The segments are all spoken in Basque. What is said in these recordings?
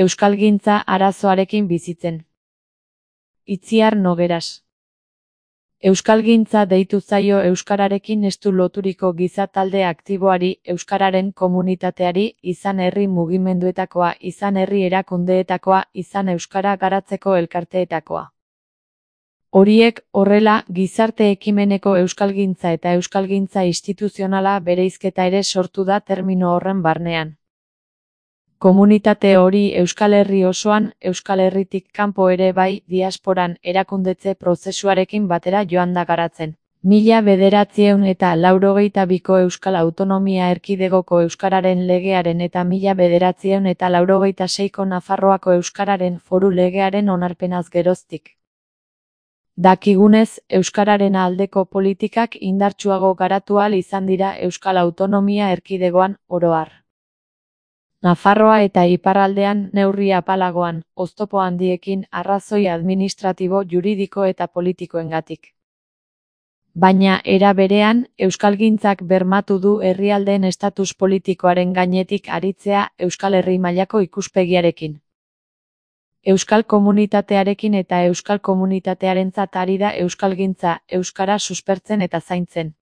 Euskalgintza arazoarekin bizitzen. Itziar Nogueras. Euskalgintza deitu zaio euskararekin estu loturiko giza talde aktiboari, euskararen komunitateari, izan herri mugimenduetakoa, izan herri erakundeetakoa, izan euskara garatzeko elkarteetakoa. Horiek, horrela, gizarte ekimeneko euskalgintza eta euskalgintza instituzionala bereizketa ere sortu da termino horren barnean. Komunitate hori Euskal Herri osoan, Euskal Herritik kanpo ere bai, diasporan, erakundetze prozesuarekin batera joan da garatzen. 1982ko Euskal Autonomia Erkidegoko euskararen legearen eta 1986ko Nafarroako euskararen foru legearen onarpenaz geroztik. Dakigunez, euskararen aldeko politikak indartsuago garatu ahal izan dira Euskal Autonomia Erkidegoan, oro har. Nafarroa eta iparraldean neurri apalagoan, oztopo handiekin, arrazoi administratibo, juridiko eta politikoengatik. Baina, era berean, euskalgintzak bermatu du herrialdeen estatus politikoaren gainetik aritzea Euskal Herri mailako ikuspegiarekin. Euskal komunitatearekin eta euskal komunitatearentzat ari da euskalgintza, euskara suspertzen eta zaintzen.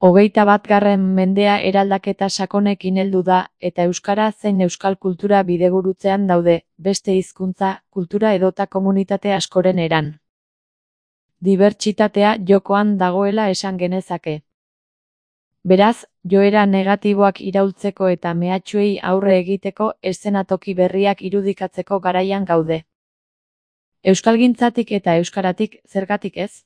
21. mendea eraldaketa sakonekin heldu da, eta euskara zein euskal kultura bidegurutzean daude, beste hizkuntza, kultura edota komunitate askoren eran. Dibertsitatea jokoan dagoela esan genezake. Beraz, joera negatiboak iraultzeko eta mehatxuei aurre egiteko eszenatoki berriak irudikatzeko garaian gaude. Euskalgintzatik eta euskaratik, zergatik ez?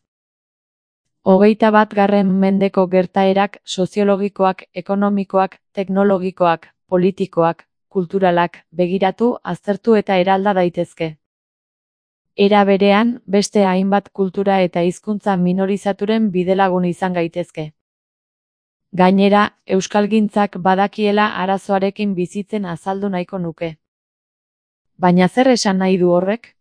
21. mendeko gertaerak soziologikoak, ekonomikoak, teknologikoak, politikoak, kulturalak, begiratu, aztertu eta eralda daitezke. Era berean, beste hainbat kultura eta hizkuntza minorizaturen bidelagun izan gaitezke. Gainera, euskalgintzak badakiela arazoarekin bizitzen azaldu nahiko nuke. Baina zer esan nahi du horrek?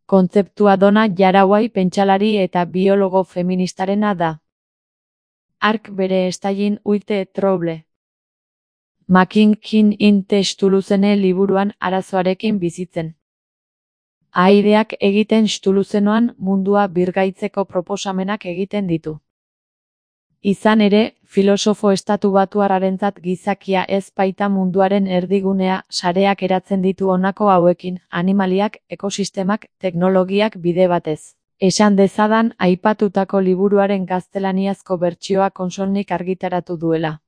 Kontzeptua Dona Jarauai pentsalari eta biologo feministarena da. Hark bere estailin uite trouble. Makinkin in Stuluzene liburuan arazoarekin bizitzen. Ahaideak egiten Stuluzenoan mundua birgaitzeko proposamenak egiten ditu. Izan ere, filosofo estatubatuarrarentzat gizakia ez baita munduaren erdigunea, sareak eratzen ditu honako hauekin, animaliak, ekosistemak, teknologiak bide batez. Esan dezadan, aipatutako liburuaren gaztelaniazko bertsioa Konsolnik argitaratu duela.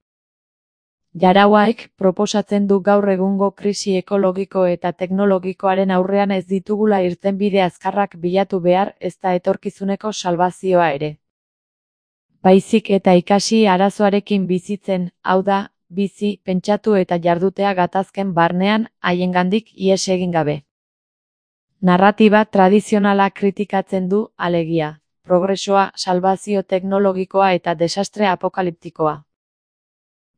Jarauaik proposatzen du gaur egungo krisi ekologiko eta teknologikoaren aurrean ez ditugula irtenbide azkarrak bilatu behar, ezta etorkizuneko salbazioa ere. Baizik eta ikasi arazoarekin bizitzen, hau da, bizi, pentsatu eta jardutea gatazken barnean, haiengandik ihes egin gabe. Narratiba tradizionala kritikatzen du, alegia, progresoa, salbazio teknologikoa eta desastre apokaliptikoa.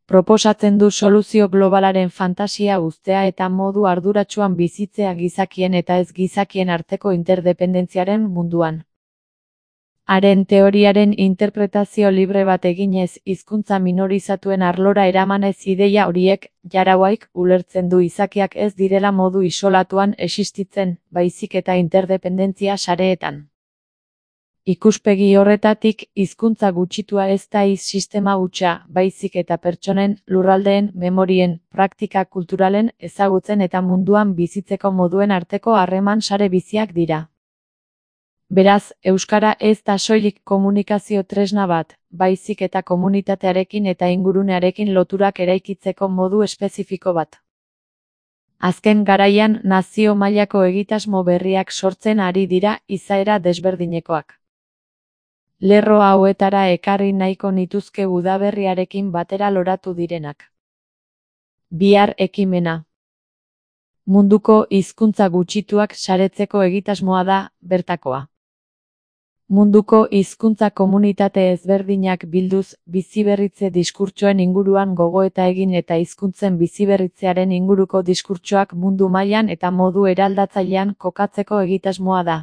Proposatzen du soluzio globalaren fantasia uztea eta modu arduratsuan bizitzea gizakien eta ez gizakien arteko interdependentziaren munduan. Haren teoriaren interpretazio libre bat eginez hizkuntza minorizatuen arlora eramanez ideia horiek, Jarauaik ulertzen du izakiak ez direla modu isolatuan existitzen, baizik eta interdependentzia sareetan. Ikuspegi horretatik, hizkuntza gutxitua ez da sistema hutsa, baizik eta pertsonen, lurraldeen, memorien, praktika kulturalen, ezagutzen eta munduan bizitzeko moduen arteko harreman sare biziak dira. Beraz, euskara ez da soilik komunikazio tresna bat, baizik eta komunitatearekin eta ingurunearekin loturak eraikitzeko modu espezifiko bat. Azken garaian nazio mailako egitasmo berriak sortzen ari dira izaera desberdinekoak. Lerro hauetara ekarri nahiko nituzke udaberriarekin batera loratu direnak. Bihar ekimena. Munduko hizkuntza gutxituak saretzeko egitasmoa da, bertakoa. Munduko hizkuntza komunitate ezberdinak bilduz, biziberritze diskurtsoen inguruan gogoeta egin eta hizkuntzen biziberritzearen inguruko diskurtsoak mundu mailan eta modu eraldatzailean kokatzeko egitasmoa da.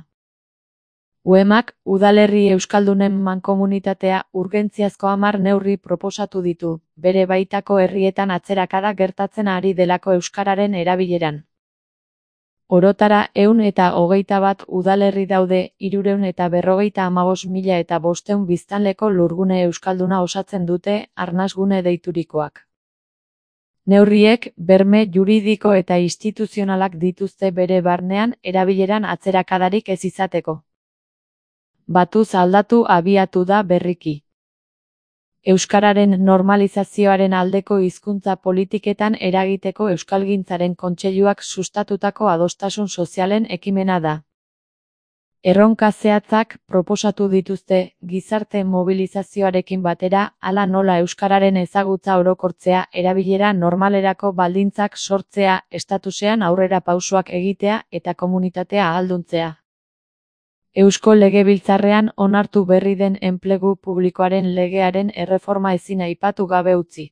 UEMak, udalerri euskaldunen mankomunitatea, urgentziazko 10 neurri proposatu ditu, bere baitako herrietan atzerakada gertatzen ari delako euskararen erabileran. Orotara 121 udalerri daude, 355.500 biztanleko lurgune euskalduna osatzen dute, arnasgune deiturikoak. Neurriek, berme juridiko eta instituzionalak dituzte bere barnean erabileran atzerakadarik ez izateko. Batuz aldatu abiatu da berriki. Euskararen normalizazioaren aldeko hizkuntza politiketan eragiteko Euskalgintzaren Kontseiluak sustatutako adostasun sozialen ekimena da. Erronka zehatzak proposatu dituzte, gizarte mobilizazioarekin batera, hala nola euskararen ezagutza orokortzea, erabilera normalerako baldintzak sortzea, estatusean aurrera pausoak egitea eta komunitatea ahalduntzea. Eusko Legebiltzarrean onartu berri den enplegu publikoaren legearen erreforma ezin aipatu gabe utzi.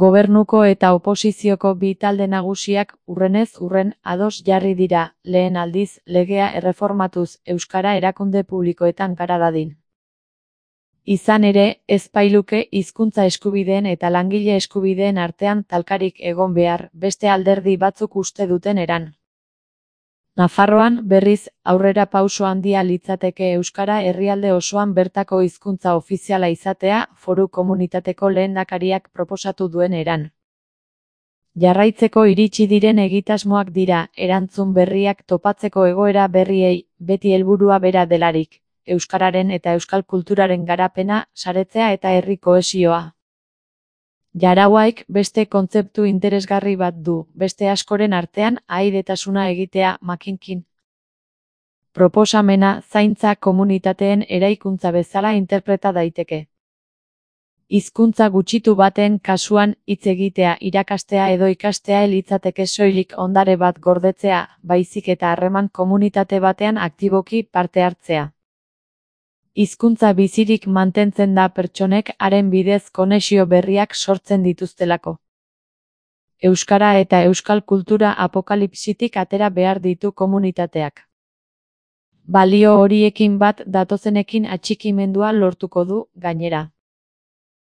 Gobernuko eta oposizioko bi talde nagusiak urrenez urren ados jarri dira, lehen aldiz legea erreformatuz euskara erakunde publikoetan gara dadin. Izan ere, ez bailuke hizkuntza eskubideen eta langile eskubideen artean talkarik egon behar, beste alderdi batzuk uste duten eran. Nafarroan, berriz, aurrera pauso handia litzateke euskara herrialde osoan bertako hizkuntza ofiziala izatea, foru komunitateko lehendakariak proposatu duen eran. Jarraitzeko iritsi diren egitasmoak dira, erantzun berriak topatzeko egoera berriei, beti helburua bera delarik, euskararen eta euskal kulturaren garapena, saretzea eta herri kohesioa. Jarauaik beste kontzeptu interesgarri bat du, beste askoren artean ahaidetasuna egitea makinkin. Proposamena zaintza komunitateen eraikuntza bezala interpreta daiteke. Hizkuntza gutxitu baten kasuan hitz egitea, irakastea edo ikastea litzateke soilik ondare bat gordetzea, baizik eta harreman komunitate batean aktiboki parte hartzea. Hizkuntza bizirik mantentzen da pertsonek haren bidez konexio berriak sortzen dituztelako. Euskara eta euskal kultura apokalipsitik atera behar ditu komunitateak. Balio horiekin bat datozenekin atxikimendua lortuko du, gainera.